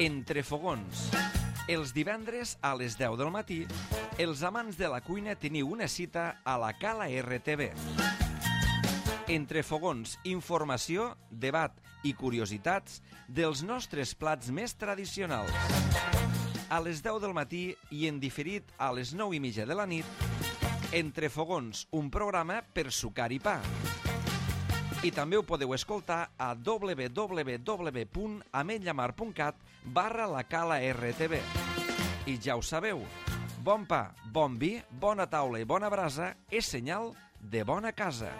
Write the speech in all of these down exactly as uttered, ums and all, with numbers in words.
Entre fogons. Els divendres a les deu del matí, els amants de la cuina teniu una cita a la Cala R T V. Entre fogons, informació, debat i curiositats dels nostres plats més tradicionals. A les deu del matí i en diferit a les nou i mitja de la nit, Entre fogons, un programa per sucar i pa. I també ho podeu escoltar a w w w punt ametlllamar punt cat barra la Cala R T V. I ja ho sabeu, bon pa, bon vi, bona taula i bona brasa és senyal de bona casa.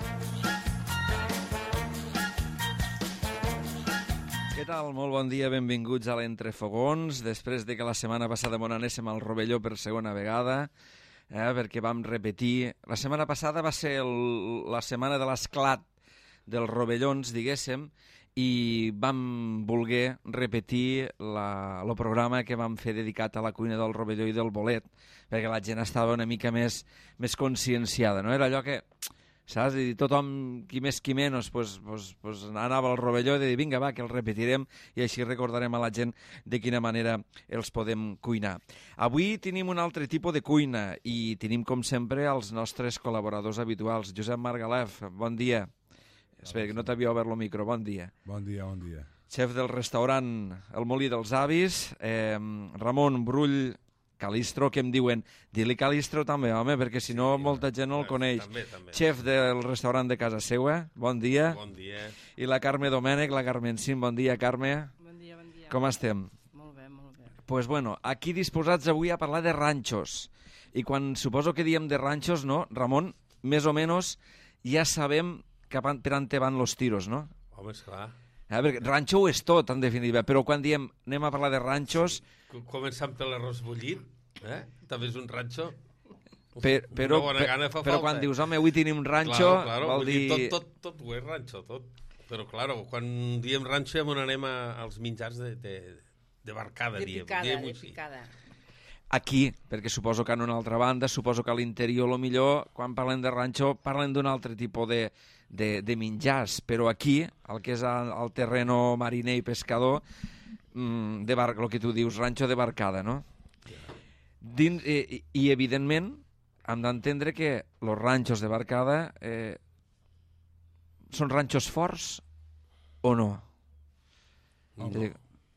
Què tal? Molt bon dia, benvinguts a l'Entrefogons. Després de que la setmana passada m'on anéssim al Rovelló per segona vegada, eh, perquè vam repetir... La setmana passada va ser el, la setmana de l'esclat dels rovellons, diguéssim, i vam voler repetir la, el programa que vam fer dedicat a la cuina del rovelló i del bolet, perquè la gent estava una mica més, més conscienciada, no? Era allò que, saps? I tothom, qui més qui menys, pues, pues, pues anava al rovelló i de dir, vinga, va, que el repetirem i així recordarem a la gent de quina manera els podem cuinar. Avui tenim un altre tipus de cuina i tenim, com sempre, els nostres col·laboradors habituals. Josep Margalef, bon dia. Espera, que no t'havia obert el micro. Bon dia. Bon dia, bon dia. Xef del restaurant El Molí dels Avis, eh, Ramon Brull Calistro, que em diuen, di-li Calistro també, home, perquè si no sí, molta gent no el coneix. També, també. Xef del restaurant de casa seua, bon dia. Bon dia. I la Carme Domènech, la Carmencín, bon dia, Carme. Bon dia, bon dia. Com estem? Molt bé, molt bé. Pues bueno, aquí disposats avui a parlar de ranxos. I quan suposo que diem de ranxos, no, Ramon, més o menys ja sabem cap per on te van los tiros, no? Home, esclar. Eh, perquè ranxo ho és tot, en definitiva, però quan diem anem a parlar de ranxos... Sí. Començant per l'arròs bullit, eh? També és un ranxo. Per, però, Una bona per, gana fa però falta. quan dius, home, avui tenim un ranxo, claro, claro, vol dir... dir... Tot, tot, tot ho és ranxo, tot. Però, claro, quan diem ranxo ja anem a, als menjars de, de, de barcada, de diem. picada, diem de així. picada. Aquí, perquè suposo que en una altra banda, suposo que a l'interior, lo millor, quan parlen de ranxo, parlen d'un altre tipus de, de, de menjars, però aquí, el que és el, el terreno mariner i pescador, mmm, de bar, el que tu dius, ranxo de barcada, no? Dins, i, i, evidentment, hem d'entendre que els ranxos de barcada eh, són ranxos forts o no? No, no.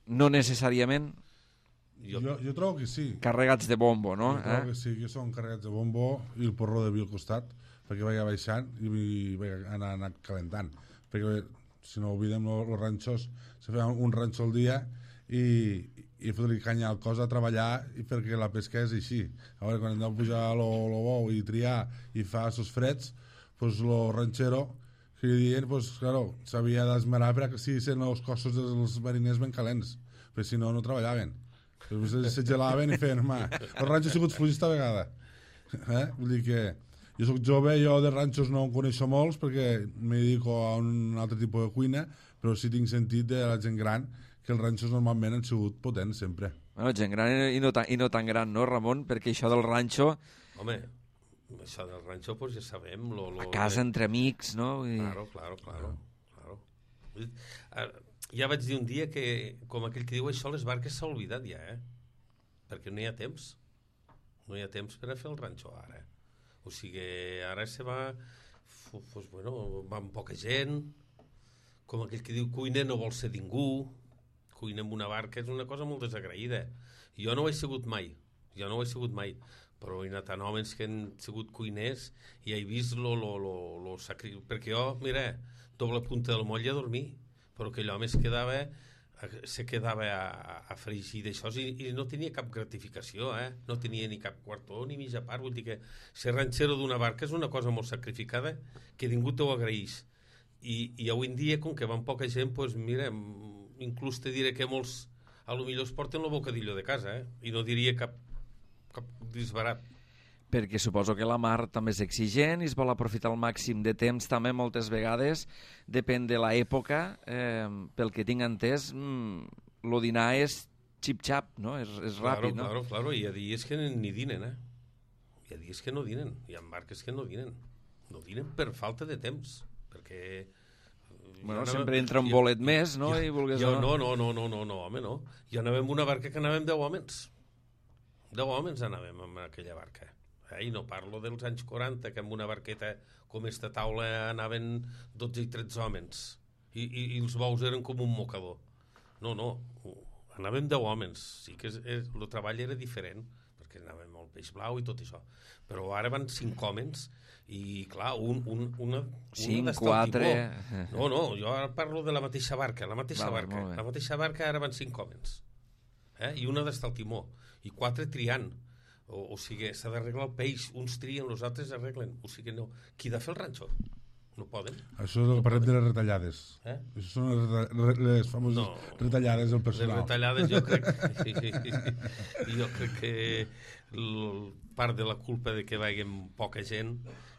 No necessàriament... Jo, jo, jo trobo que sí. Carregats de bombo, no? Jo trobo eh? que sí, que són carregats de bombo i el porró de vi al costat, perquè vaig baixant i vaig anar, anar calentant. Perquè, si no oblidem, els ranxos, se feien un ranxo al dia i, i fotre-li canya al cos a treballar i perquè la pesca és així. A veure, quan hem de pujar el bou i triar i fa sos freds, doncs el ranxero, que dient, pues, claro, s'havia d'esmerar perquè si sent els cossos dels mariners ben calents, perquè si no, no treballaven. Se gelaven i feien, home, el ranxo ha sigut fluix esta vegada. Eh? Vull dir que jo soc jove, jo de ranxos no en coneixo molts perquè me dedico a un altre tipus de cuina, però sí tinc sentit de la gent gran que els ranxos normalment han sigut potents sempre. Bueno, gent gran i no, tan, i no tan gran, no, Ramon? Perquè això del ranxo... Home, això del ranxo pues ja sabem... Lo, lo, a casa, de... entre amics, no? I... Claro, claro, claro. claro. Uh, ja vaig dir un dia que, com aquell que diu això, les barques s'ha oblidat ja, eh? Perquè no hi ha temps. No hi ha temps per a fer el ranxo ara. O sigui, ara se va... Pues, bueno, va amb poca gent, com aquell que diu cuina no vol ser ningú, cuina amb una barca és una cosa molt desagraïda. Jo no ho he sigut mai, jo no ho he sigut mai, però hi ha tant homes que han sigut cuiners i he vist lo, lo, lo, lo sacri... Perquè jo, mira, doble punta del moll a dormir, però aquell home es quedava, se quedava a, a fregir d'això i, i no tenia cap gratificació, eh? No tenia ni cap quartó ni mitja part. Vull dir que ser ranxero d'una barca és una cosa molt sacrificada que ningú t'ho agraeix. I, i avui en dia, com que van poca gent, doncs mira, inclús te diré que molts a lo millor es porten el bocadillo de casa, eh? I no diria cap, cap disbarat. Perquè suposo que la mar també és exigent i es vol aprofitar al màxim de temps també moltes vegades, depèn de l'època, eh, pel que tinc entès, mmm, el dinar és xip-xap, no? És, és ràpid, claro, no? Claro, claro, hi ha dies que ni dinen, eh? Hi ha dies que no dinen, hi ha barques que no dinen. No dinen per falta de temps, perquè Bueno, anàvem, sempre entra un jo, bolet més, no? Jo, I vulguis jo, o no. no, no, no, no, no, home, no. Jo anàvem una barca que anàvem deu homes. Deu homes anàvem en aquella barca. Eh? I no parlo dels anys quaranta, que amb una barqueta com esta taula anaven dotze i tretze homes. I, i, i els bous eren com un mocador. No, no, anàvem deu homes. Sí que és, és, el treball era diferent, perquè anàvem al peix blau i tot això. Però ara van cinc homes i, clar, un, un, una... Cinc, quatre... No, no, jo ara parlo de la mateixa barca, la mateixa Val, barca. La mateixa barca ara van cinc homes. Eh? I una d'estar al timó. I quatre triant. O, o sigui, s'ha d'arreglar el peix. Uns trien, els altres arreglen. O sigui, no. Qui ha de fer el ranxo? No poden. Això és el que parlem de les retallades. Eh? Això són les, reta- les famoses No. retallades del Les personal. retallades jo crec, jo crec que l- part de la culpa de que vagin poca gent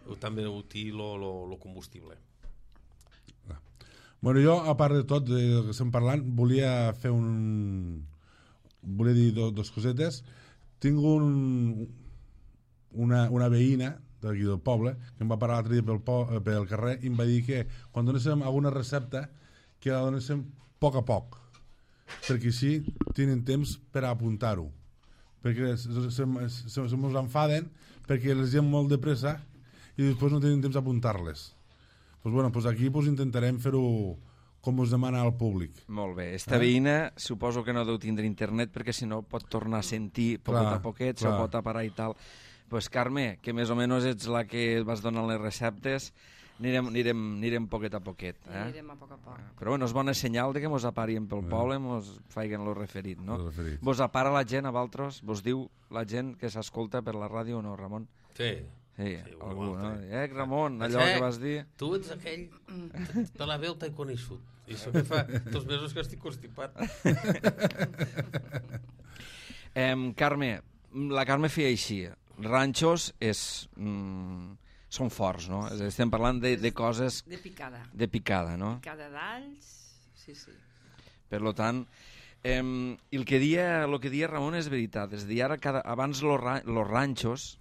o també ho té el combustible. Bueno, jo, a part de tot de que estem parlant, volia fer un... volia dir do, dos cosetes. Tinc un, una, una veïna d'aquí del poble que em va parar l'altre dia pel, po, pel carrer i em va dir que quan donéssim alguna recepta que la donéssim a poc a poc, perquè així tenen temps per a apuntar-ho, perquè se, se, se, se mos enfaden perquè les gent molt de pressa i després no tenen temps a apuntar-les. Pues bueno, pues aquí pues intentarem fer-ho com us demana el públic. Molt bé. Esta Eh? veïna suposo que no deu tindre internet perquè si no pot tornar a sentir poquet Clar, a poquet, clar. se pot aparar i tal. Pues Carme, que més o menys ets la que vas donant les receptes, anirem, anirem, anirem poquet a poquet. Eh? Anirem a poc a poc. Però bueno, és bona senyal de que mos aparien pel poble, mos faiguen lo referit, no? Lo referit. Vos apara la gent a valtros? Vos diu la gent que s'escolta per la ràdio o no, Ramon? Sí. Sí, Sí, algú, un no? altre. Eh, Ramon, allò Eh, que vas dir... Tu ets aquell... De la veu t'he coneixut. I això que fa dos mesos que estic constipat. Eh, Carme, la Carme feia així. Ranxos és... Mm, són forts, no? És a dir, estem parlant de, de coses De picada. de picada, no? Picada d'alls, sí, sí. Per lo tant, eh, el que dia, lo que dia Ramon és veritat. És a dir, ara cada, abans los, ra, los ranxos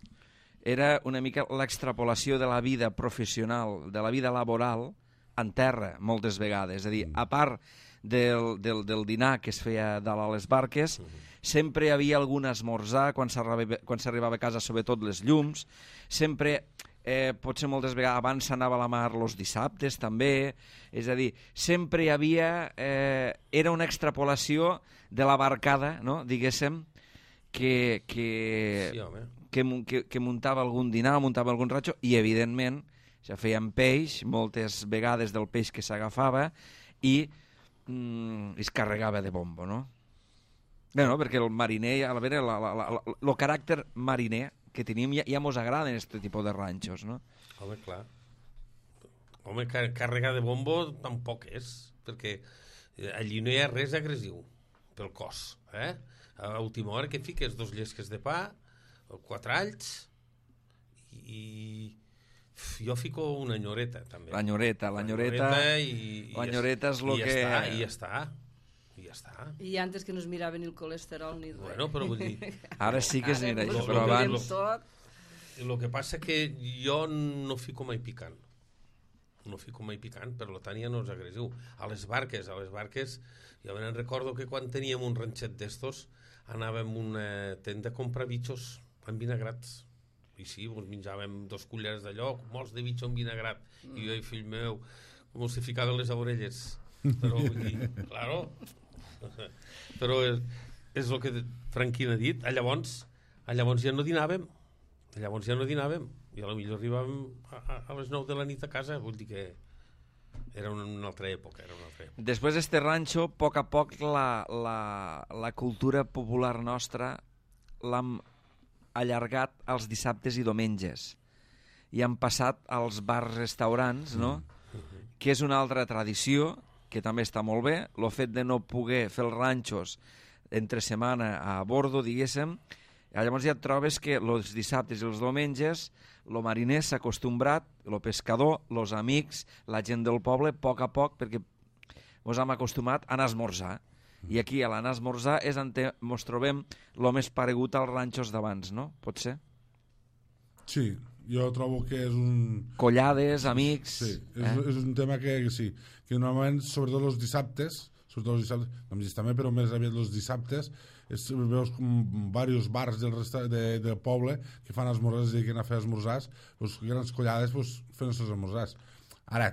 era una mica l'extrapolació de la vida professional, de la vida laboral en terra, moltes vegades. És a dir, a part del, del, del dinar que es feia dalt a les barques, sempre hi havia algun esmorzar quan s'arribava quan s'arribava a casa, sobretot les llums, sempre... Eh, potser moltes vegades abans s'anava a la mar els dissabtes també, és a dir, sempre hi havia eh, era una extrapolació de la barcada, no? Diguéssim, que, que, Sí, home. que, mu- que, que muntava algun dinar, muntava algun ratxo, i evidentment ja feien peix, moltes vegades del peix que s'agafava, i mm, es carregava de bombo, no? Bé, no? Perquè el mariner, a veure, la, la, la, la, el caràcter mariner que tenim ja, ja mos agraden aquest tipus de ranxos, no? Home, clar. Home, car càrrega de bombo tampoc és, perquè allí no hi ha res agressiu pel cos. Eh? A última hora que fiques dos llesques de pa, quatre alls, i jo fico una nyoreta, també. L'enyoreta, l'enyoreta... i, i l'enyoreta és lo i que... Ja està, I ja està. I ja està. I antes que no es mirava ni el colesterol ni res. Bueno, però vull dir... Ara sí que es Ara mira mos això, lo- però lo que- abans... lo- tot. El que passa que jo no fico mai picant. No fico mai picant, per tant ja no és agressiu. A les barques, a les barques, jo me'n recordo que quan teníem un ranxet d'estos anàvem a una tenda a comprar bitxos envinagrats. I sí, doncs menjàvem dos culleres d'allò, molts de bitxo envinagrat. Mm. I jo, fill meu, com se ficaven les orelles. Però vull dir, claro... Però és, és el que Franquín ha dit. A llavors, a llavors ja no dinàvem. A llavors ja no dinàvem. I a la millor arribàvem a, a, a les nou de la nit a casa. Vull dir que era una, una altra època. Era una altra època. Després d'este ranxo, a poc a poc la, la, la cultura popular nostra l'hem allargat als dissabtes i diumenges. I han passat als bars-restaurants, no? Mm. Que és una altra tradició que també està molt bé, el fet de no poder fer els ranxos entre setmana a bordo, diguéssim, llavors ja et trobes que els dissabtes i els diumenges el mariner s'ha acostumbrat, el pescador, els amics, la gent del poble, a poc a poc, perquè ens hem acostumat a anar a esmorzar. I aquí, a l'anar a esmorzar, és on ens trobem el més paregut als ranxos d'abans, no? Pot ser? Sí, jo trobo que és un... Collades, amics... Sí, és, eh? és un tema que, que sí, que normalment, sobretot els dissabtes, sobretot els dissabtes, no també, però més aviat els dissabtes, és, veus com diversos bars del, resta, de, del poble que fan esmorzars, es dediquen a fer esmorzars, doncs, grans collades pues, fent els seus esmorzars. Ara,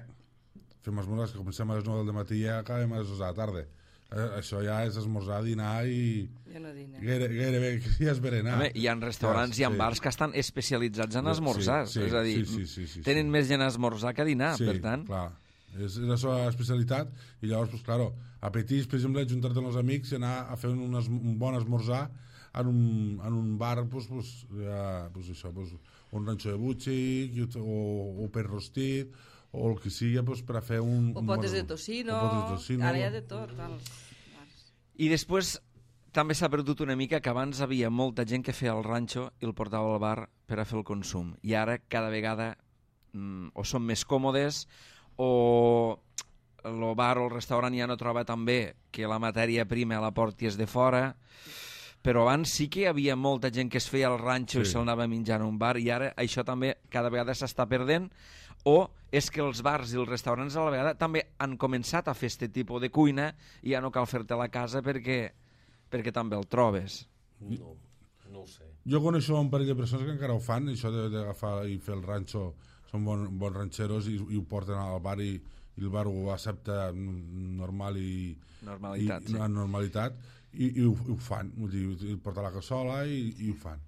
fem esmorzars que comencem a les nou del matí i acabem a les dues de la tarda. Eh, això ja és esmorzar, dinar i... Jo no dine. Gaire, gairebé ja és berenar. Home, hi ha restaurants, ja, hi ha sí. bars que estan especialitzats en esmorzars. Sí, sí, és a dir, sí, sí, sí, sí, tenen sí. més gent a esmorzar que a dinar, sí, per tant. clar. És, és la seva especialitat i llavors, pues, claro, apetits, per exemple, ajuntar-te amb els amics i anar a fer un, es, un bon esmorzar en un, en un bar, pues, pues, ja, pues, això, pues, un ranxo de butxi o, o per rostit o el que sigui, pues, per a fer un... O un potes bon, de tocino, o potes de tocino. Ara hi ha de tot. Als... I després també s'ha perdut una mica que abans havia molta gent que feia el ranxo i el portava al bar per a fer el consum. I ara cada vegada mm, o són més còmodes o el bar o el restaurant ja no troba tan bé que la matèria prima la portis de fora, però abans sí que hi havia molta gent que es feia el ranxo sí. i se'l anava menjant a un bar, i ara això també cada vegada s'està perdent, o és que els bars i els restaurants a la vegada també han començat a fer aquest tipus de cuina i ja no cal fer-te a la casa perquè, perquè també el trobes. No, no ho sé. Jo coneixo un parell de persones que encara ho fan, això d'agafar i fer el ranxo, són bon, bons ranxeros i, i ho porten al bar i, i el bar ho accepta normal i... Normalitat, i, sí. En normalitat, i, i, ho, i ho fan, vull dir, el porta la cassola i, i ho fan.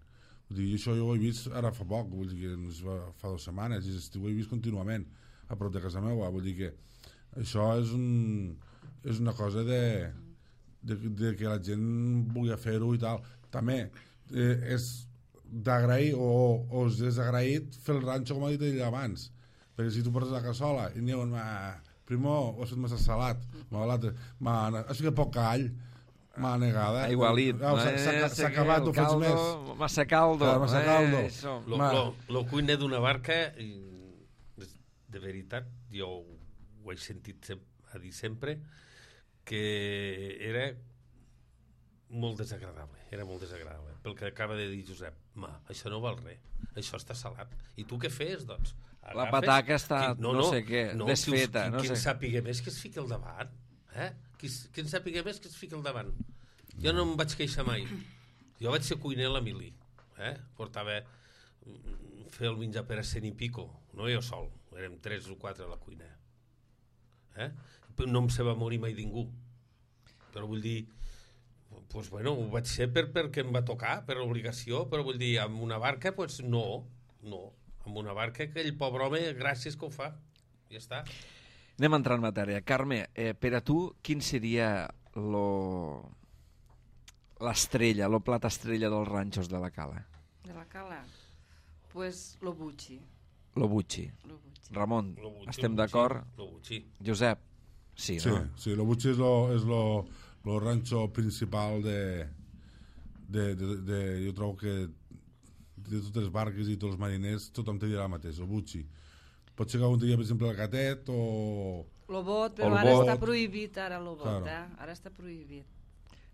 Vull dir, això jo ho he vist ara fa poc, vull dir que fa dues setmanes, i ho he vist contínuament a prop de casa meva, vull dir que això és, un, és una cosa de, de, de que la gent vulgui fer-ho i tal. També eh, és d'agrair o, o és desagraït fer el ranxo, com ha dit ell abans, perquè si tu portes la cassola i n'hi ha primer ho has fet massa salat, l'altre has ficat poc call, m'ha negada. Aigualit. S'ha acabat, ho faig més. Massa caldo. Massa caldo. Lo, lo, lo cuiner d'una barca, de veritat, jo ho he sentit a dir sempre, que era molt desagradable, era molt desagradable. Pel que acaba de dir Josep, ma, això no val res, això està salat. I tu què fes, doncs? Agafes, la pataca està, qui, no, no, no sé què, no, desfeta. Qui, no qui sé. en sàpiga més que es fiqui al davant. Eh? Qui, qui en sàpiga més que es fiqui al davant. Jo no em vaig queixar mai. Jo vaig ser cuiner a la mili. Eh? Portava fer el menjar per a cent i pico. No jo sol, érem tres o quatre a la cuina. Eh? No em se va morir mai ningú. Però vull dir, pues bueno, ho vaig ser per, perquè em va tocar, per obligació, però vull dir, amb una barca, pues no, no. Amb una barca, aquell pobre home, gràcies que ho fa. Ja està. Anem a entrar en matèria. Carme, eh, per a tu, quin seria lo... l'estrella, lo plat estrella dels ranxos de la Cala? De la Cala? Pues lo bucci. Lo bucci. Lo bucci. Ramon, Lo bucci, estem lo d'acord? Lo bucci. Josep, sí, Sí, no? sí, lo butxi és lo, és lo, lo ranxo principal de, de, de, de... Jo trobo que de totes les barques i tots els mariners tothom te dirà el mateix, el butxi. Pot ser que un dia, per exemple, el gatet o... Lo bot, però el ara bot. està prohibit, ara lo bot, Claro. eh? Ara està prohibit.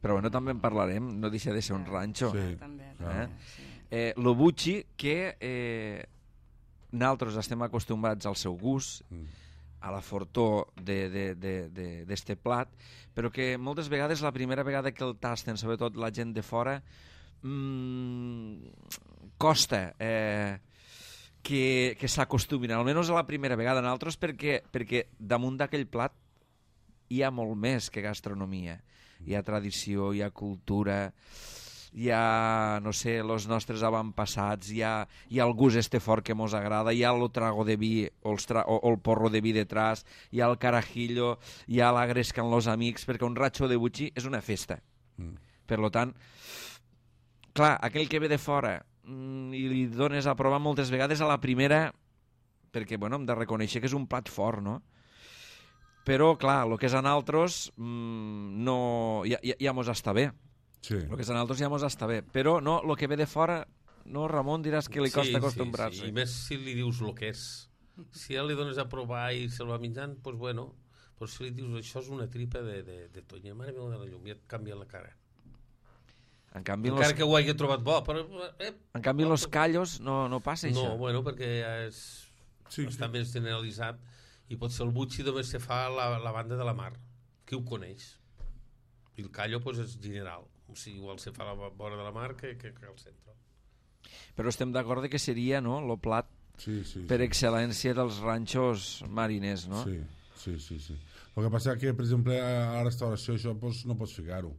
Però bueno, també en parlarem, no deixa de ser un ranxo. Sí. Ah, també, Eh? també, sí. Eh, lo bucci, que eh, nosaltres estem acostumats al seu gust, Mm. a la fortor d'este plat, però que moltes vegades, la primera vegada que el tasten, sobretot la gent de fora, mmm, costa eh, que, que s'acostumin, almenys a la primera vegada. Nosaltres perquè, perquè damunt d'aquell plat hi ha molt més que gastronomia. Hi ha tradició, hi ha cultura, hi ha, no sé, els nostres avantpassats, hi ha, hi ha el gust este fort que mos agrada, hi ha el trago de vi o, els tra o, o el porro de vi detrás, hi ha el carajillo, hi ha la gresca amb els amics, perquè un ratxo de butxi és una festa. Mm. Per lo tant, clar, aquell que ve de fora mm, i li dones a provar moltes vegades a la primera, perquè, bueno, hem de reconèixer que és un plat fort, no? Però, clar, el que és a nosaltres mmm, no, ja, ja, ja mos està bé. Sí. El que és a nosaltres ja mos està bé. Però no, el que ve de fora, no, Ramon, diràs que li costa sí, acostumbrar-se. Sí, sí. I més si li dius el que és. Si ja li dones a provar i se'l va menjant, doncs pues bueno. Però si li dius això és una tripa de, de, de tonya, mare meva de la llum, ja et canvia la cara. En canvi, Encara los, que ho hagi trobat bo, però... Eh, en canvi los callos no, no passa no, això. bueno, perquè ja és, Sí, està sí. més generalitzat i potser el butxi només se fa a la, la banda de la mar. Qui ho coneix? I el callo pues, és general. O sigui, igual se fa a la vora de la mar que, que, que al centre. Però estem d'acord que seria, no?, el plat Sí, sí, per sí. excel·lència dels ranxos mariners, no? Sí, sí, sí, sí. El que passa que, per exemple, a la restauració això pues, no pots ficar-ho.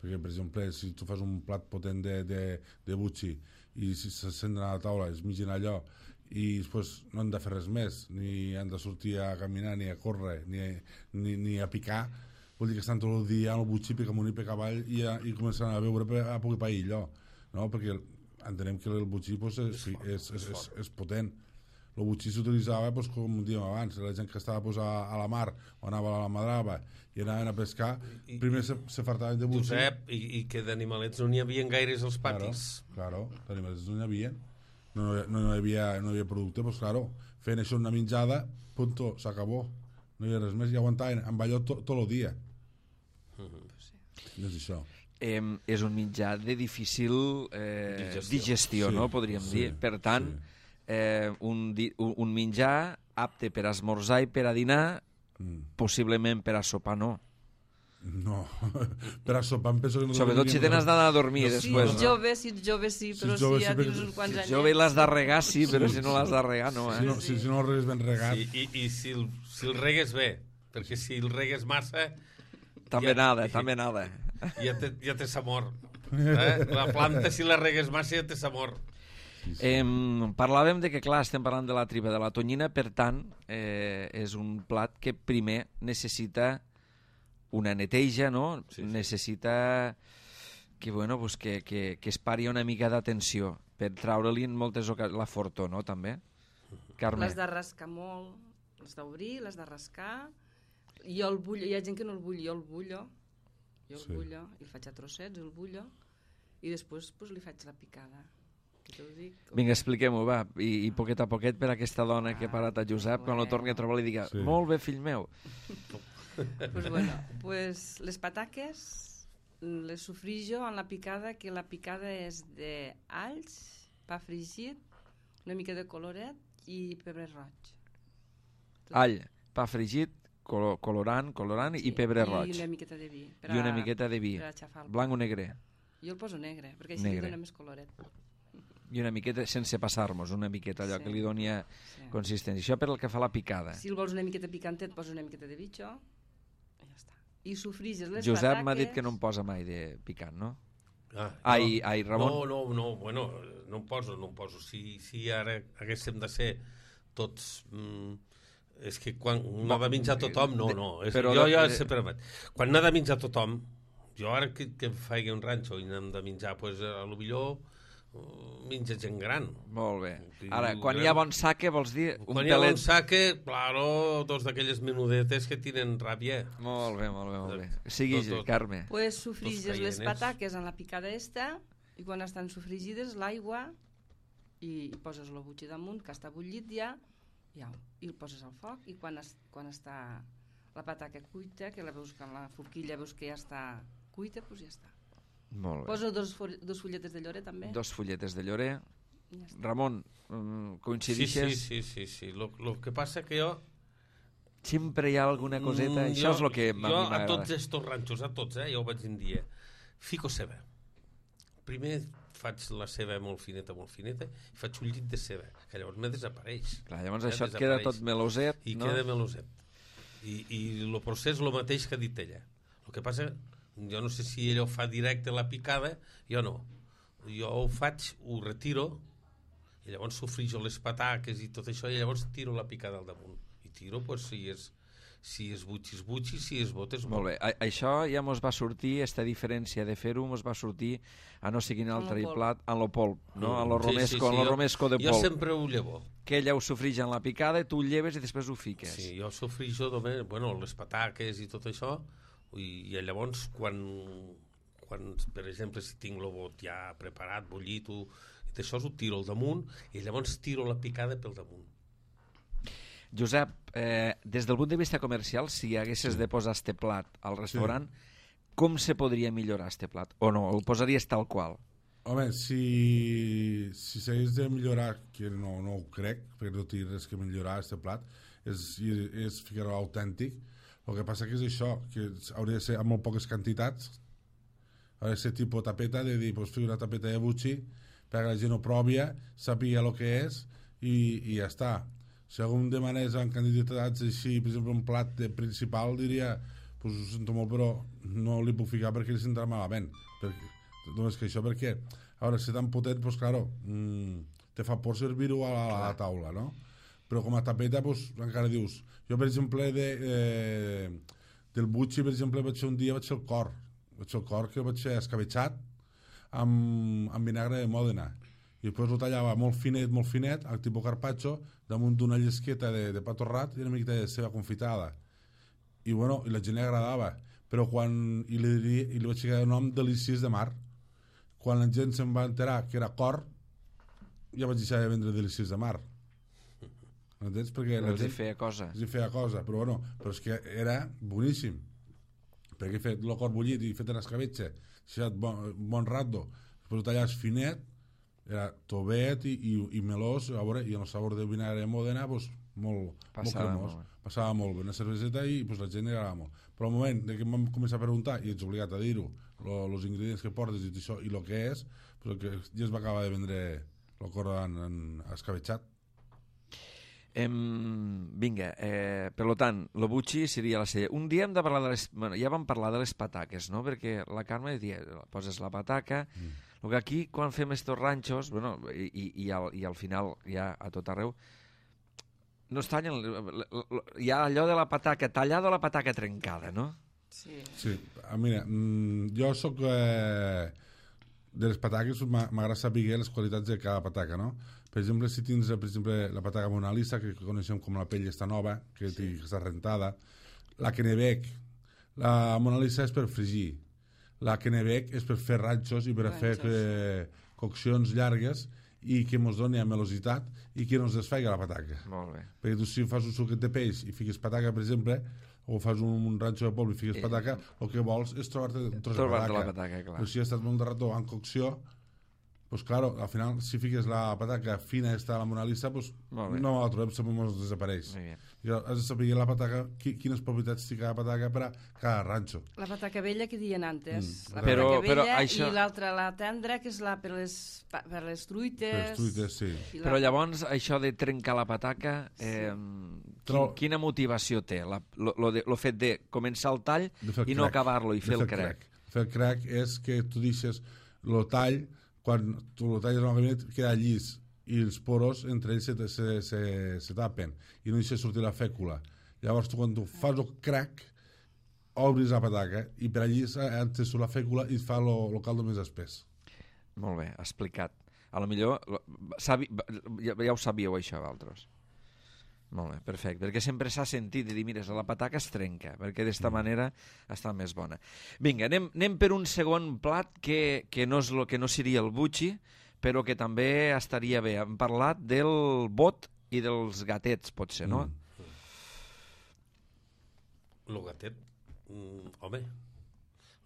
Perquè, per exemple, si tu fas un plat potent de, de, de butxi i si se senten a la taula, es migin allò i després no han de fer res més, ni han de sortir a caminar, ni a córrer, ni, ni, ni a picar, vol dir que estan tot el dia al butxi, pica amunt i pica avall i, a, i començaran a veure a poc i pa allò, no? Perquè entenem que el butxí pues, és, és, és, és, és potent. El butxí s'utilitzava, pues, com dèiem abans, la gent que estava pues, a, a la mar o anava a la madrava i anaven a pescar, I, primer se, se fartaven de butxí. Josep, i, i que d'animalets no n'hi havia gaires als patis. Claro, claro, d'animalets no n'hi havia. No, no, no, hi havia, no hi havia producte, pues claro, fent això una menjada, punto, s'acabó. No hi havia res més, i aguantaven amb allò tot, tot el dia. Mm-hmm. No és això. Eh, és un mitjà de difícil eh, digestió, Digestió. no?, Sí, podríem sí, dir. Per tant, sí. eh, un, di, un, un menjar apte per esmorzar i per a dinar, Mm. possiblement per a sopar no. No, per a sopar em penso que no... Sobretot si tens d'anar a dormir Si després, ets no? jove, si ets jove sí, Si però ets jove si ja sí, tens perquè- uns quants Si anys... ets jove i l'has de regar, sí, però si no l'has de regar, no, Si eh? no, si, si no el regues ben regat... Sí, i, i si, el, si el regues bé, perquè si el regues massa... També ja- nada, també nada. Ja té, ja té sabor. Eh? La planta, si la regues massa, ja té sabor. Eh, parlàvem de que, clar, estem parlant de la tripa de la tonyina, per tant, eh, és un plat que primer necessita una neteja, no? Sí, sí. Necessita que, bueno, pues que, que, que es pari una mica d'atenció per treure-li en moltes ocasions la fortor, no?, també. Carme. Les de rascar molt, les d'obrir, les de rascar. Jo el bullo, hi ha gent que no el bull, jo el bullo. Jo el Sí. bullo, i el faig a trossets, el bullo, i després pues, li faig la picada. Que te ho dic. Vinga, expliquem-ho, va, I, i poquet a poquet per aquesta dona que ha parat a Josep, quan lo torni a trobar li diga, Sí. molt bé, fill meu. Pues bueno, pues les pataques les sofrijo en la picada, que la picada és d'alls, pa fregit, una mica de coloret i pebre roig. Tot. All, pa fregit, colo colorant, colorant i pebre roig. I una miqueta de vi. Per I una a- miqueta de vi. Per a aixafar el Blanc o negre? Jo el poso negre, perquè així Negre. li dona més coloret. I una miqueta, sense passar-nos, una miqueta allò Sí. que li doni a Sí. consistència. Això per el que fa a la picada. Si el vols una miqueta picantet, posa una miqueta de bitxo i ja està. I sofriges les Josep pataques... m'ha dit que no em posa mai de picant, no? Ah, Ai, no. ai, Ramon. No, no, no, bueno, no em poso, no em poso. Si, si ara haguéssim de ser tots... Mm, és que quan no ha de menjar tothom, no, no. És, Però jo, de- jo de- sempre vaig. Quan n'ha de menjar tothom, jo ara que, que em faig un ranxo i n'hem de menjar, pues, a lo millor uh, menja gent gran. Molt bé. Sí, Ara, quan bueno. hi ha bon saque, vols dir un Quan hi ha un pelet... saque, claro, dos d'aquelles menudetes que tenen ràbia. Molt bé, molt bé, molt bé. Sigui, Tot, tot. Carme. Pues sofriges les caieners. pataques en la picada esta i quan estan sofrigides l'aigua i, i poses el butxi damunt que està bullit ja, ja i el poses al foc i quan, es, quan està la pataca cuita, que la veus que en la forquilla veus que ja està cuita, doncs ja està. Molt bé. Poso dos, fo- dos fulletes de llorer també. Dos fulletes de llorer. I ja està. Ramon, mm, Sí, coincidixes? sí, sí, sí, sí. Lo, lo que passa que jo... Sempre hi ha alguna coseta. Mm, Això jo- és el que a mi Jo a m'agrada. tots estos ranxos, a tots, eh, ja ho vaig dir, fico ceba. Primer faig la ceba molt fineta, molt fineta, i faig un llit de ceba, que llavors me desapareix. Clar, llavors Ja això et queda desapareix. tot meloset, I no? queda meloset. I, i el procés és el mateix que ha dit ella. El que passa, jo no sé si ella ho fa directe a la picada, jo no. Jo ho faig, ho retiro, i llavors sofrijo les pataques i tot això, i llavors tiro la picada al damunt. I tiro, pues, si és, si és butxi, és butxi, si és bot, és bot. Molt bé, a això ja mos va sortir, esta diferència de fer-ho mos va sortir a no sé quin altre lo polp. plat, en lo polp, no? En lo Sí, romesco, sí, sí, en lo jo- romesco de Jo polp. sempre ho llevo. Que ella ho sofrix en la picada, tu ho lleves i després ho fiques. Sí, jo sofrijo només, bueno, les pataques i tot això, i, i llavors quan, quan, per exemple, si tinc el bot ja preparat, bullit, ho, i d'això ho tiro al damunt, i llavors tiro la picada pel damunt. Josep, eh, des del punt de vista comercial, si haguessis Sí. de posar este plat al restaurant, com se podria millorar este plat? O no, el posaries tal qual? Home, si, si s'hagués de millorar, que no, no ho crec, perquè no té res que millorar este plat, és, és ficar-ho autèntic. El que passa que és això, que hauria de ser amb molt poques quantitats, hauria de ser tipus tapeta, de dir, pues, fico una tapeta de buchi, perquè la gent ho provi, sàpiga el que és, i, i ja està. Si algú em demanés en quantitats així, per exemple, un plat de principal, diria, pues ho sento molt, però no li puc ficar perquè li sentarà malament. Perquè, només que això, perquè, a veure, si tan potent, pues claro, mmm, te fa por servir-ho a, a la taula, no? Però com a tapeta, pues, encara dius, jo, per exemple, de, eh, del butxi, per exemple, vaig fer un dia, vaig fer el cor, vaig fer el cor que vaig fer escabetxat amb, amb vinagre de Mòdena, i després ho tallava molt finet, molt finet, al tipus carpaccio, damunt d'una llesqueta de, de pa torrat i una miqueta de ceba confitada. I bueno, i la gent li agradava, però quan i li, i li vaig ficar el nom Delícies de Mar. Quan la gent se'n va enterar que era cor, ja vaig deixar de vendre Delícies de Mar. Entens? Perquè la Els hi gent feia cosa. els hi feia cosa, però bueno, però és que era boníssim, perquè he fet el cor bullit i he fet en escabetxa, deixat bon, bon rato, després ho tallaves finet, era tovet i, i, i melós, a veure, i el sabor de vinagre de Mòdena, pues, molt, molt cremós, molt passava molt bé, una cerveseta i pues, la gent li agradava molt. Però al moment de que em vam començar a preguntar, i ets obligat a dir-ho, els ingredients que portes i això, i el que és, pues, el que ja es va acabar de vendre el cor en, en escabetxat. Em, vinga, eh, per tant, el butxi seria la cella. Un dia hem de parlar de les... Bueno, ja vam parlar de les pataques, no? Perquè la Carme dia, poses la pataca, mm. el que aquí, quan fem estos ranxos, bueno, i, i, i, al, i al final, ja a tot arreu, no es tallen... Hi ha allò de la pataca tallada o la pataca trencada, no? Sí. Sí, ah, mira, mm, jo sóc... Eh, de les pataques m'agrada saber les qualitats de cada pataca, no? Per exemple, si tens per exemple, la pataca Mona Lisa, que coneixem com la pell està nova, que, sí. que està rentada, la Kennebec, la Mona Lisa és per fregir, la Kennebec és per fer ranxos i per ranxos. fer eh, coccions llargues i que ens doni melositat i que no ens desfaiga la pataca. Molt bé. Perquè tu si fas un suquet de peix i fiques pataca, per exemple, o fas un, un ranxo de polvo i fiques pataca, el que vols és trobar-te un tros de pataca. la pataca, clar. Però si has estat molt de rato en cocció, pues claro, al final, si fiques la pataca fina esta a la Mona Lisa, pues no la trobem, sempre ens desapareix. I has de saber la pataca, quines propietats té cada pataca per a cada ranxo. La pataca vella que diuen antes. Mm. La però, pataca però vella això... i l'altra, la tendra, que és la per les, per les truites. Per les truites, sí. La... Però llavors, això de trencar la pataca, eh, sí. quin, quina motivació té? La, lo, lo, de, lo fet de començar el tall i no acabar-lo i fer el crac. Fer el crac és que tu deixes el tall, quan tu el talles en el gabinet, queda llis i els poros entre ells se, se, se, se tapen i no deixes sortir la fècula. Llavors tu quan tu fas el crac obris la pataca i per allí entres la fècula i et fa el caldo més espès. Molt bé, explicat. A lo millor sabi, ja, ja ho sabíeu això vosaltres. Molt bé, perfecte, perquè sempre s'ha sentit de dir, mira, la pataca es trenca, perquè d'esta mm. manera està més bona. Vinga, anem, anem per un segon plat que, que, no és lo, que no seria el butxi, però que també estaria bé. Hem parlat del bot i dels gatets, potser, no? Mm. El gatet, mm, home,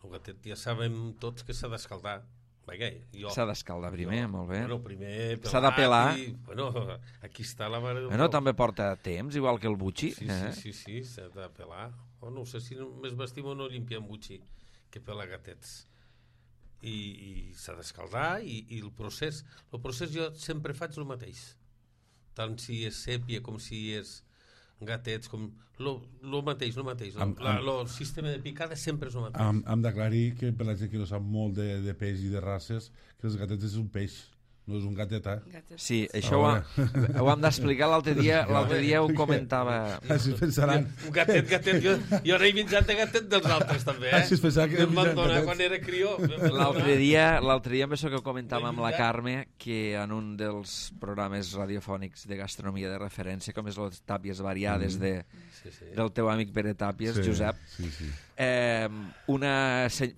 el gatet ja sabem tots que s'ha d'escaldar. S'ha d'escaldar primer, jo, molt bé. Bueno, primer s'ha de pelar. I, bueno, aquí està la mare... Bueno, també porta temps, igual que el butxi. Sí, eh? sí, sí, sí, s'ha de pelar. Oh, no sé si més vestim o no limpiem butxi que pela gatets. I, i s'ha d'escaldar i, i el procés... El procés jo sempre faig el mateix. Tant si és sèpia com si és gatets, com... El mateix, el mateix. El sistema de picada sempre és el mateix. Hem, hem d'aclarir que per la gent que no sap molt de, de peix i de races, que els gatets és un peix, no és un gatet, eh? Gatet. Sí, això ho, ho hem d'explicar l'altre dia, l'altre dia ho comentava... Així es pensaran... Un gatet, gatet, jo, jo n'he menjat de gatet dels altres, també, eh? Així es pensaran que... Em van donar quan era crió. L'altre dia, l'altre dia, amb això que comentàvem amb la Carme, que en un dels programes radiofònics de gastronomia de referència, com és les tàpies variades de, sí, sí. del teu amic Pere Tàpies, sí, Josep, sí, sí. Eh, una,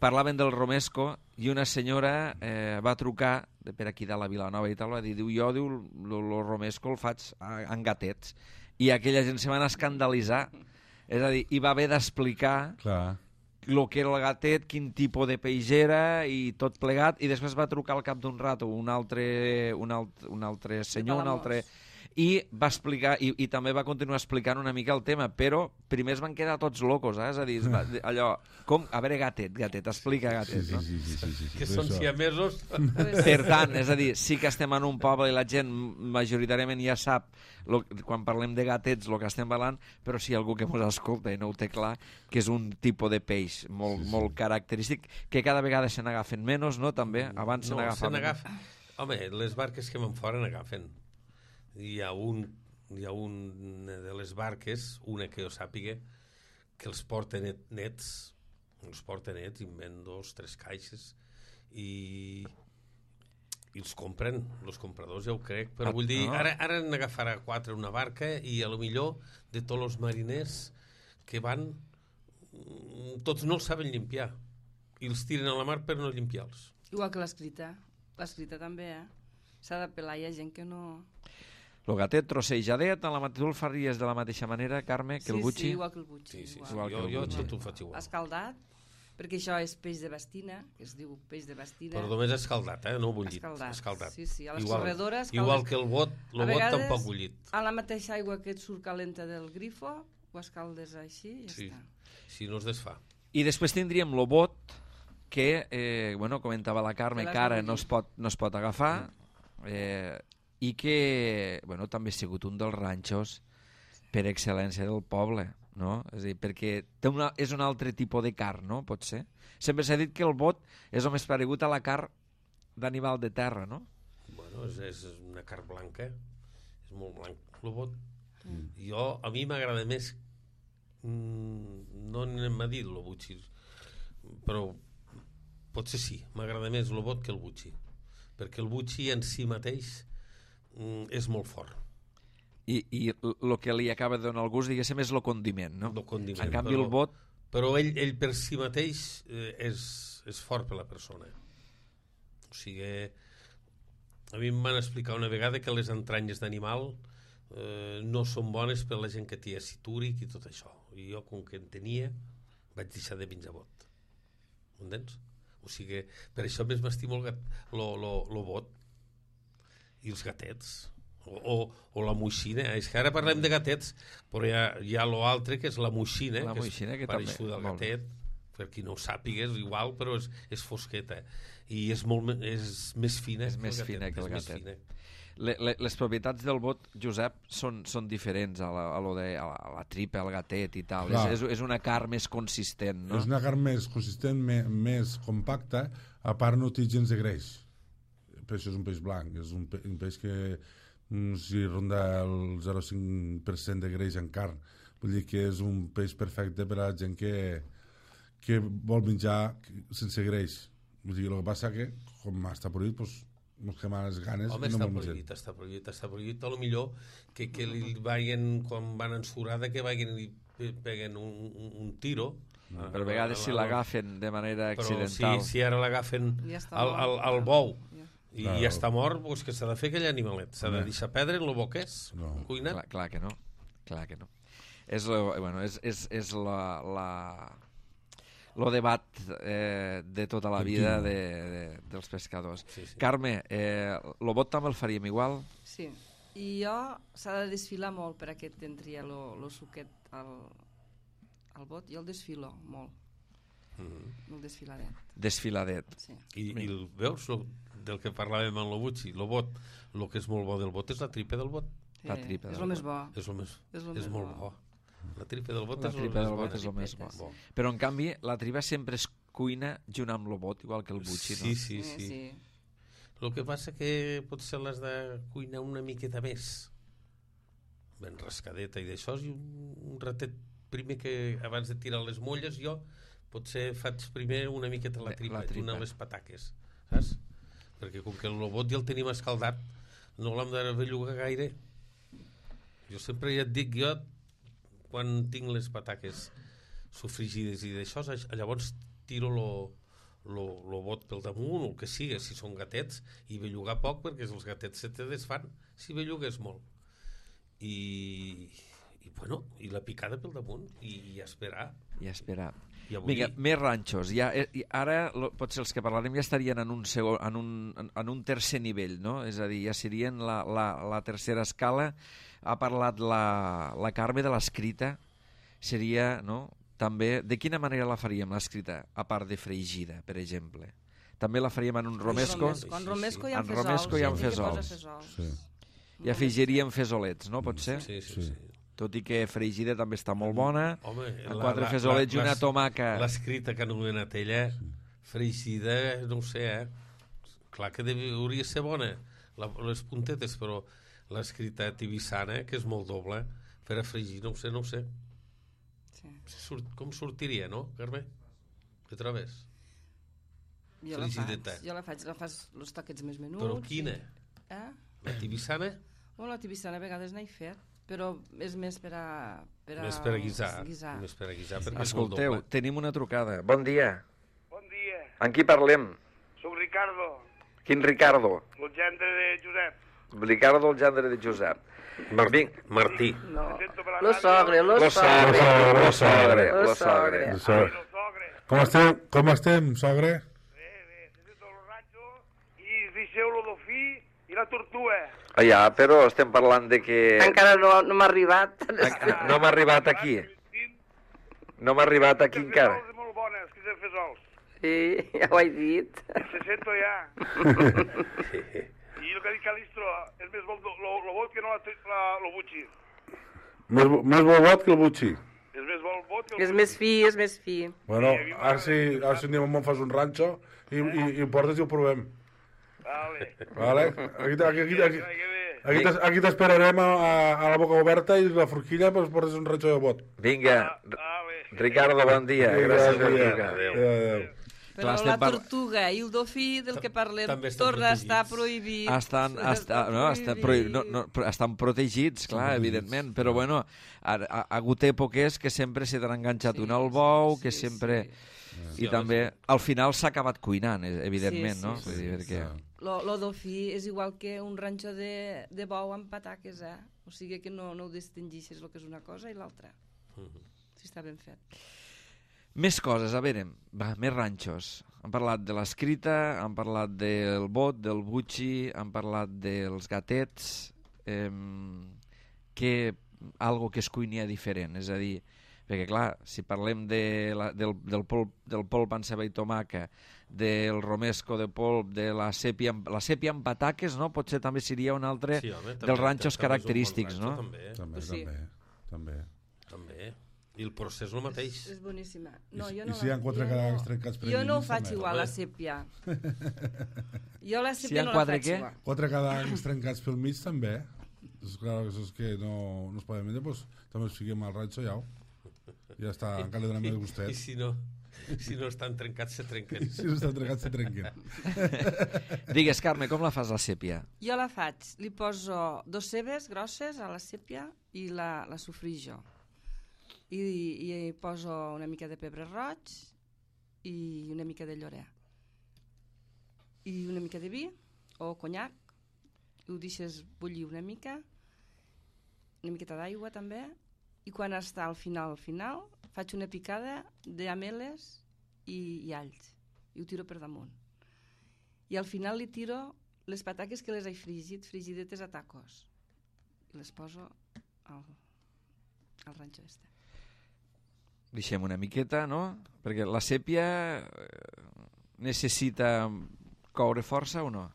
parlaven del romesco i una senyora eh, va trucar de per aquí de la Vilanova i tal, va dir, diu, jo diu, el romesco el faig en gatets, i aquella gent se van escandalitzar, és a dir, hi va haver d'explicar el que era el gatet, quin tipus de peix era i tot plegat, i després va trucar al cap d'un rato un altre, un alt, un altre senyor, un altre... i va explicar, i, i també va continuar explicant una mica el tema, però primer es van quedar tots locos, eh? És a dir, es va, allò, com, a veure, gatet, gatet, explica gatet, sí, no? sí, sí, sí, sí, sí, Que per són això. siamesos. Per tant, és a dir, sí que estem en un poble i la gent majoritàriament ja sap, lo, quan parlem de gatets, el que estem parlant, però si hi ha algú que ens escolta i no ho té clar, que és un tipus de peix molt, sí, sí. molt característic, que cada vegada se n'agafen menys, no? També, abans se No, se n'agafaven. n'agafa. Home, les barques que van fora n'agafen. Hi ha un, hi ha un de les barques, una que jo sàpiga, que els porta net, nets, els porta nets, i en ven dos, tres caixes, i, i els compren, els compradors ja ho crec, però vull dir, ara, ara n'agafarà quatre una barca, i a lo millor de tots els mariners que van, tots no els saben limpiar, i els tiren a la mar per no limpiar-los. Igual que l'escrita. L'escrita també, eh? S'ha de pelar, hi ha gent que no... El gatet trossejadet, la, tu el faries de la mateixa manera, Carme, que sí, el butxi? Sí, igual que el butxi. Sí, sí, sí. Igual Jo, que el jo butxi. tot ho faig igual. Escaldat, perquè això és peix de bastina, que es diu peix de bastina. Però només escaldat, eh? No bullit. Escaldat. Escaldat. Sí, sí, a les igual, corredores... Igual que el bot, el A bot vegades, tampoc bullit. A la mateixa aigua que et surt calenta del grifo, ho escaldes així i ja Sí. està. Si no es desfà. I després tindríem el bot, que, eh, bueno, comentava la Carme, Que l'has que ara de no es pot, no es pot agafar, eh, i que, bueno, també ha sigut un dels ranxos per excel·lència del poble, no? És a dir, perquè té una, és un altre tipus de carn, no? Pot ser. Sempre s'ha dit que el bot és el més paregut a la carn d'animal de terra, no? Bueno, és, és una carn blanca. És molt blanc, el bot. Mm. Jo, a mi m'agrada més... Mm, no n'hem dit el butxi, però potser sí, m'agrada més el bot que el butxi. Perquè el butxi en si mateix mm, és molt fort. I, i el que li acaba de donar el gust, diguéssim, és el condiment, no? El condiment, en canvi, però, el bot... Però ell, ell per si mateix eh, és, és fort per la persona. O sigui, a mi em van explicar una vegada que les entranyes d'animal eh, no són bones per la gent que té àcid úric i tot això. I jo, com que en tenia, vaig deixar de menjar bot. M'entens? O sigui, per això més m'estimo el, gat, lo, lo, lo bot i els gatets. O, o, o la moixina. És que ara parlem de gatets, però hi ha, hi ha l'altre, que és la moixina, La que moixina, és que pareixut també- del molt bé. gatet, per qui no ho sàpiga, és igual, però és, és fosqueta. I és, molt, me- és més fina És que més el gatet. fina que el és més gatet. fina. Le, le, les propietats del bot, Josep, són, són diferents a la, a lo de, a la, a la tripa, al gatet i tal. Clar. És, és, és una carn més consistent, no? És una carn més consistent, me, més compacta, a part no té gens de greix. Per això és un peix blanc, és un, pe un peix que mm, si ronda el zero coma cinc per cent de greix en carn. Vull dir que és un peix perfecte per a la gent que, que vol menjar sense greix. Vull dir, el que passa que, com està prohibit, doncs, ens quemen les ganes Home, i no està me'l mengem. prohibit, està prohibit, està prohibit. A lo millor que, que li vagin, quan van ensurada, que vagin i pe- peguen un, un, un tiro. Però a vegades si l'agafen de manera Però accidental... si, si ara l'agafen Ja està al, mort. al, al bou Ja. i Clar. ja està mort, doncs que s'ha de fer aquell animalet. S'ha de Home. deixar perdre en el boquès, No. cuinat. Clar, clar que no, clar que no. És, lo, bueno, és, és, és la, la, lo debat eh, de tota la vida de, de, dels pescadors. Sí, sí. Carme, eh, el bot també el faríem igual? Sí. I jo s'ha de desfilar molt per a que t'entri el suquet al, al bot. Jo el desfilo molt, Mhm. el desfiladet. Desfiladet. Sí. I, i el, veus lo, del que parlàvem en lo butxi, lo bot, el que és molt bo del bot és la tripa del bot. La Eh, tripa és del el més bot. bo. És, el més, És lo és més molt bo. bo. La tripa del bot La és el tripa més del bo. bot és el més bo. bo. Però en canvi la tripa sempre es cuina junt amb el bot, igual que el butxi, no? Sí, sí, Eh, sí. sí. El que passa que potser l'has de cuinar una miqueta més. Ben rascadeta i d'això, i un, un ratet primer que abans de tirar les molles jo potser faig primer una miqueta la La tripa, tripa. una les pataques, saps? Perquè com que el bot ja el tenim escaldat, no l'hem de bellugar gaire. Jo sempre ja et dic, jo quan tinc les pataques sofrigides i d'això, llavors tiro lo, lo, lo bot pel damunt o el que sigui, si són gatets, i bellugar poc perquè els gatets se te desfan si bellugues molt. I, i bueno, i la picada pel damunt i, i esperar. I esperar. I avui... Vinga, més ranxos. Ja, eh, ara, lo, potser els que parlarem ja estarien en un, segon, en un, en, en un tercer nivell, no? És a dir, ja serien la, la, la tercera escala. Ha parlat la, la Carme de l'escrita. Seria, no?, també... De quina manera la faríem, l'escrita, a part de fregida, per exemple? També la faríem en un romesco? En romesco hi ha en romesco hi ha fesols. Sí. I afegiríem fesolets, no? Pot ser? Sí, sí, sí. Tot i que fregida també està molt bona. Home, amb quatre fesolets i una tomaca. L'escrita que ha anomenat ella, fregida, no ho sé, eh? Clar que deu, hauria de ser bona, la, les puntetes, però l'escrita tibissana, que és molt doble, per a fregir, no ho sé, no ho sé. Sí. Surt, com sortiria, no, Carme? Què trobes? Jo la faig, jo la faig, la fas els toquets més menuts. Però quina? Eh? La tibissana? Bueno, la tibissana a vegades n'he fet, però és més per a... Per a més per a guisar. guisar. Més per a guisar, perquè Escolteu, és molt doble. tenim una trucada. Bon dia. Bon dia, Amb qui parlem? soc Ricardo, Quin Ricardo? el gendre de Josep. Ricardo, el gendre de Josep. Martí. Martí. No. Me sento per la Lo ràdio. sogre, lo Lo sogre. sogre, lo sogre, Lo lo sogre. sogre. Ai, lo sogre. Com estem, com estem, sogre? Bé, bé, se sento el ranxo i deixeu lo do fi i la tortuga. Ah, ja, però estem parlant de que... Encara no, no m'ha arribat. No m'ha arribat aquí. No m'ha arribat aquí encara. Fesols molt bones, que se fesols. Sí, ja ho he dit. Se sento ja. I el que ha dit Calistro, és més bo lo, lo bot que no la, la, lo butxi. Més, bo- més bobot que el butxi. És més bo el bot que el És més fi, és més fi. Bueno, ara si, ara si anem a fas un ranxo i, i, i ho portes i ho provem. Vale. Vale? Aquí, aquí, aquí, aquí, Ai, que bé. aquí, t'es- aquí t'esperarem a, a, a la boca oberta i la forquilla pues, portes un ranxo de bot. Vinga, Vale. Ricardo, bon dia. Gràcies per Adéu. trucar. Adéu. Adéu. Però Clar, estem la par- tortuga i el dofí del que parlem També estan torna a estar protegits. prohibit. Estan, està, no, està, prohi- no, no, però estan protegits, clar, evidentment, però bueno, ha, ha, ha hagut èpoques que sempre s'hi han enganxat Sí, un al bou, que sí, sempre... sí. I també, al final s'ha acabat cuinant, eh, evidentment, Sí, sí, no? sí, Vull dir, perquè... Lo, lo dofí és igual que un ranxo de, de bou amb pataques, eh? O sigui que no, no ho distingixes el que és una cosa i l'altra. Si està ben fet. Més coses, a veure, va, més ranxos. Han parlat de l'escrita, han parlat del bot, del butxi, han parlat dels gatets, eh, que algo que es cuinia diferent, és a dir, perquè clar, si parlem de la, del, del, polp, del polp amb ceba i tomaca, del romesco de polp, de la sèpia, amb- la sèpia amb pataques, no? Potser també seria un altre Sí, home, també- dels ranxos també és un bon característics, ranxo, no? També, També, Sí. també, també. també. I el procés el mateix. És, és boníssima. I No, si- jo i no si la- hi ha quatre jo cadàvers no- trencats per Jo no ho endins, faig també. igual, la Home. sèpia. Jo la Si sèpia hi ha no la quatre faig què? igual. Quatre cadàvers trencats pel mig també. És clar, és que no, no es poden menjar, doncs també els fiquem al ranxo ja. Ja està, encara li donem el I gustet. si no, si no estan trencats, se trenquen. Si no estan trencats, se trenquen. Digues, Carme, com la fas la sèpia? Jo la faig. Li poso dos cebes grosses a la sèpia i la, la sofrijo. I, I hi poso una mica de pebre roig i una mica de llorer. I una mica de vi o conyac. I ho deixes bullir una mica. Una miqueta d'aigua també. I quan està al final, al final, faig una picada d'ameles i, i alls. I ho tiro per damunt. I al final li tiro les pataques que les he fregit, frigidetes a tacos. I les poso al, al ranxo este. Deixem una miqueta, no? Perquè la sèpia eh, necessita coure força o no?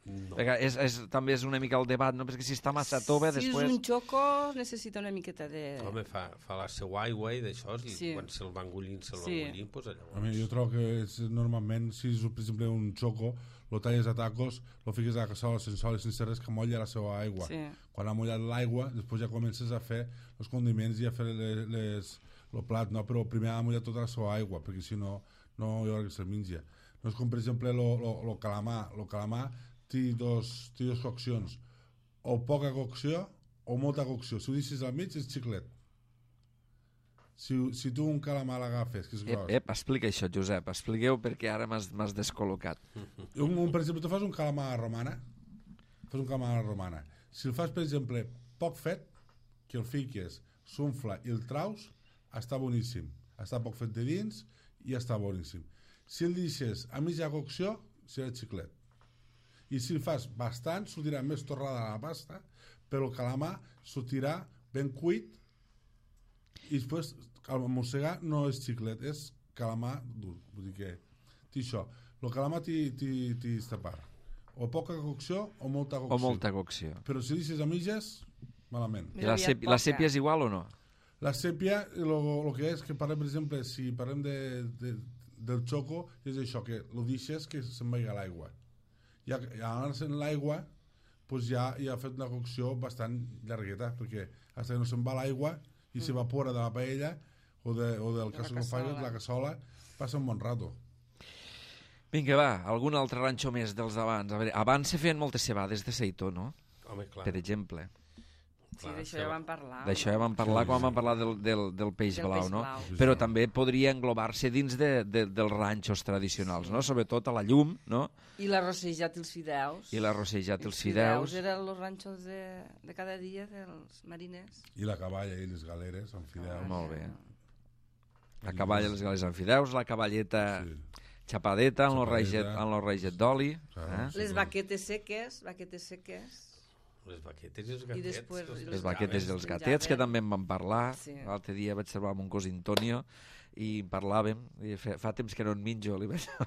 No. Perquè és, és, també és una mica el debat, no? Perquè si està massa tova, si després... és un xoco, necessita una miqueta de... Home, fa, fa la seva aigua i d'això, i Sí. quan se'l van engollint, se'l van Sí. engollint, doncs A llavors... mi, jo trobo que és, normalment, si és, per exemple, un xoco, lo talles a tacos, lo fiques a la cassola sense oli, sense res, que molla la seva aigua. Sí. Quan ha mollat l'aigua, després ja comences a fer els condiments i a fer les, les, el plat, no? Però primer ha de mullar tota la seva aigua, perquè si no, no hi haurà que se'l menja. No és com, per exemple, el calamar. El calamar té dos, té dos coccions, o poca cocció o molta cocció. Si ho deixes al mig és xiclet. Si, si tu un calamar l'agafes, que és Ep, gros, ep, explica això, Josep, expliqueu perquè ara m'has m'has descol·locat. un, un, per exemple, tu fas un calamar a la romana, fas un calamar a la romana. Si el fas, per exemple, poc fet, que el fiques, s'unfla i el traus, està boníssim. Està poc fet de dins i ja està boníssim. Si el deixes a mitja cocció, serà xiclet. I si el fas bastant, sortirà més torrada la pasta, però el calamar sortirà ben cuit i després el mossegar no és xiclet, és calamar dur. Vull dir que té això. El calamar té esta part. O poca cocció o molta cocció. O molta cocció. Però si deixes a mitges, malament. I la, sèpia, la sèpia és igual o no? La sèpia, el que és que parlem, per exemple, si parlem de, de, del xoco, és això, que el deixes que se'n vagi a l'aigua. I anar-se en l'aigua, doncs ja, ja ha fet una cocció bastant llargueta, perquè fins que no se'n va l'aigua i mm. s'evapora de la paella o, de, o del cas que fa la cassola, passa un bon rato. Vinga, va, algun altre ranxo més dels d'abans. A veure, abans se feien moltes cebades de seitó, no? Home, clar. Per exemple. Sí, d'això ja vam parlar. D'això ja vam parlar quan vam parlar del, del, del peix del blau, peix no? blau. Però també podria englobar-se dins de, de, dels ranxos tradicionals, no? Sobretot a la llum, no? I l'arrossejat i els fideus. I l'arrossejat i els Els fideus. fideus eren els ranxos de, de cada dia dels mariners. I la caballa i les galeres amb fideus. Ah, molt bé. La caballa, les galeres amb fideus, la cavalleta... Sí. Xapadeta amb el reixet d'oli. Claro, Eh? sí. Les baquetes seques, baquetes seques. Les baquetes i els I gatets. després els Les baquetes i els menjaven. gatets, que també en vam parlar. Sí. L'altre dia vaig trobar amb un cos Antonio i en parlàvem. I fa, fa temps que no en menjo, li vaig a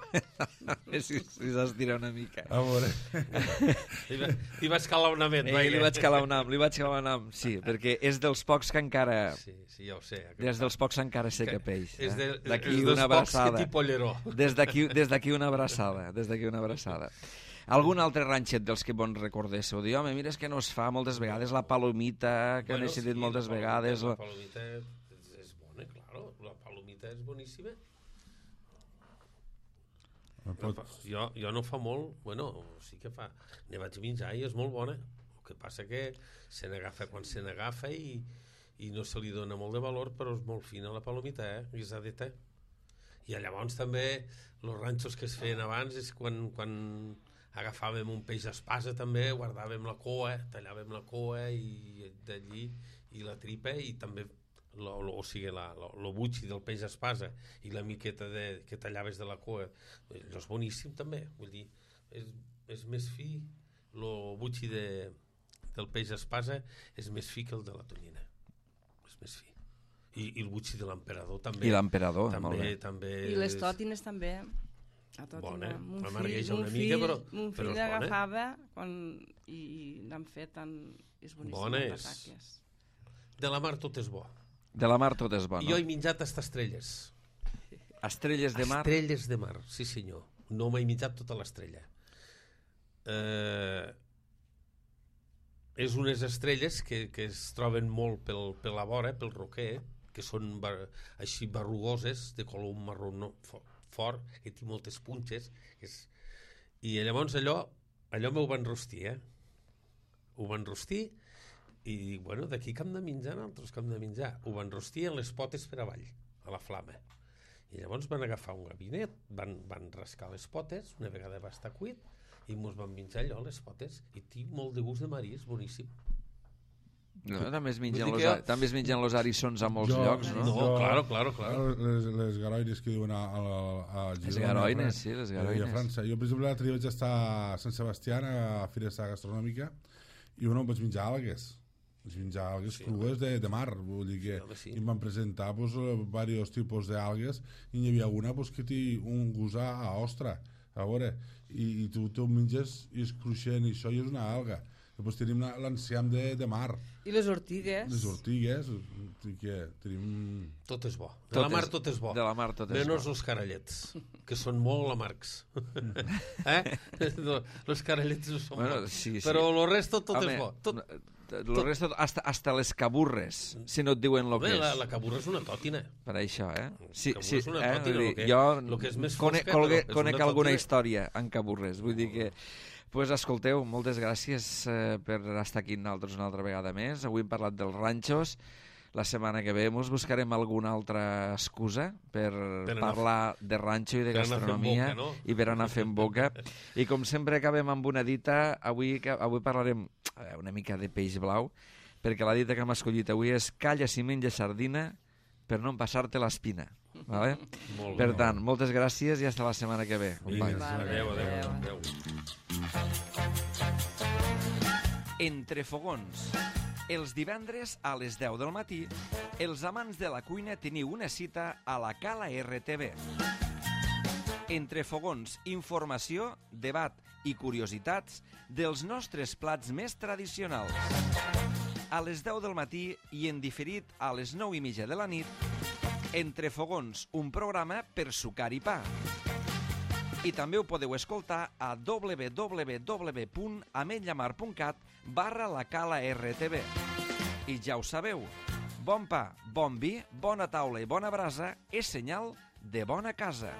veure si, si s'estira una mica. A veure. Li, va, li vas calar una ment. Eh, li vaig calar un am, li vaig calar un am, sí, perquè és dels pocs que encara... Sí, sí, ja ho sé. Des dels pocs encara sé que peix. És, de, Eh? és D'aquí dels una pocs que abraçada. t'hi polleró. Des d'aquí des d'aquí una abraçada. Des d'aquí una abraçada. Algun altre ranxet dels que bon recordéssiu? Diu, home, mira, és que no es fa moltes vegades la palomita, que bueno, n'he sentit sí, moltes la palomita, vegades. La o... palomita és, és bona, claro. La palomita és boníssima. Pot... Jo, jo no fa molt, bueno, sí que fa. Ne vaig menjar i és molt bona. El que passa que se n'agafa quan se n'agafa i, i no se li dona molt de valor, però és molt fina la palomita, eh? Guisadeta. I llavors també els ranxos que es feien abans és quan, quan agafàvem un peix espasa també, guardàvem la coa, tallàvem la coa i d'allí i la tripa i també lo, lo, o sigui, la, lo, lo butxi del peix espasa i la miqueta de, que tallaves de la coa, allò és boníssim també, vull dir, és, és més fi, lo butxi de, del peix espasa és més fi que el de la tonyina, és més fi. I, i el butxi de l'emperador també. I l'emperador, també, molt bé. també I les tòtines també. A bona, mon amargueja fill, una mon mica, fill, però, mon però fill és bona. agafava quan, i, i n'han fet tan... És boníssim. Bona les és. pataques. De la mar tot és bo. De la mar tot és bo, Jo no? he menjat hasta estrelles. Estrelles de mar? Estrelles de mar, sí senyor. No m'he menjat tota l'estrella. Eh, és unes estrelles que, que es troben molt pel, per la vora, pel roquer, que són bar, així barrugoses, de color marró no, fort, fort, que té moltes punxes. Que és... I llavors allò, allò m'ho van rostir, eh? Ho van rostir i, bueno, d'aquí que hem de menjar, nosaltres que hem de menjar. Ho van rostir en les potes per avall, a la flama. I llavors van agafar un gabinet, van, van rascar les potes, una vegada va estar cuit, i mos van menjar allò, les potes, i tinc molt de gust de marí, és boníssim. No, també es mengen, Vull los, dir que jo- també es mengen los arissons a molts Jo- llocs, no? No, Jo- claro, claro, claro. Les, les garoines que diuen a, a, a Girona. Les garoines, a, sí, les I a garoines. França. Jo, per exemple, l'altre dia vaig estar a Sant Sebastià, a Firesta Gastronòmica, i bueno, vaig menjar algues. Vaig menjar algues Sí, crues de, de mar. Vull dir que Sí, home, sí. i em van presentar pues, diversos tipus d'algues i n'hi havia una pues, que té un gust a, a ostra, a veure, i, i tu te ho menges i és cruixent i això i és una alga. Després tenim la- l'enciam de, de mar, I les ortigues. les ortigues, i que tenim... Tot és bo. De Tot la mar és- tot és bo. De la mar tot és Menos bo. els carallets, que són molt amargs. eh? No, els carallets no són Bueno, bons. sí, sí. Però el resto tot Home, és bo. Tot... Lo resto, hasta, hasta les caburres, si no et diuen lo Home, que la, és. la caburra és una tòtina. Per això, eh? Sí, Caburres sí, és una eh? tòtina, Vull lo dir, que- jo lo que és més conec, fosca, conec, però és conec una alguna tòtina. història en caburres. Vull dir que... Pues escolteu, moltes gràcies eh, per estar aquí nosaltres una altra vegada més. Avui hem parlat dels ranxos. La setmana que ve ens buscarem alguna altra excusa per, Per anar- parlar de ranxo i de per anar fent gastronomia boca, no? i per anar fent boca. I com sempre acabem amb una dita. Avui, que- avui parlarem eh, una mica de peix blau, perquè la dita que hem escollit avui és calla si menja sardina per no empassar-te l'espina. Vale? Molt Per bé. tant, moltes gràcies i fins la setmana que ve. Vinga, companys. adéu, adéu, Adéu. adéu. Entre fogons. Els divendres a les deu del matí, els amants de la cuina teniu una cita a la Cala R T V. Entre fogons, informació, debat i curiositats dels nostres plats més tradicionals. A les deu del matí i en diferit a les nou i mitja de la nit, Entre fogons, un programa per sucar i pa. I també ho podeu escoltar a www punt ametlllamar punt cat barra la Cala R T V. I ja ho sabeu, bon pa, bon vi, bona taula i bona brasa és senyal de bona casa.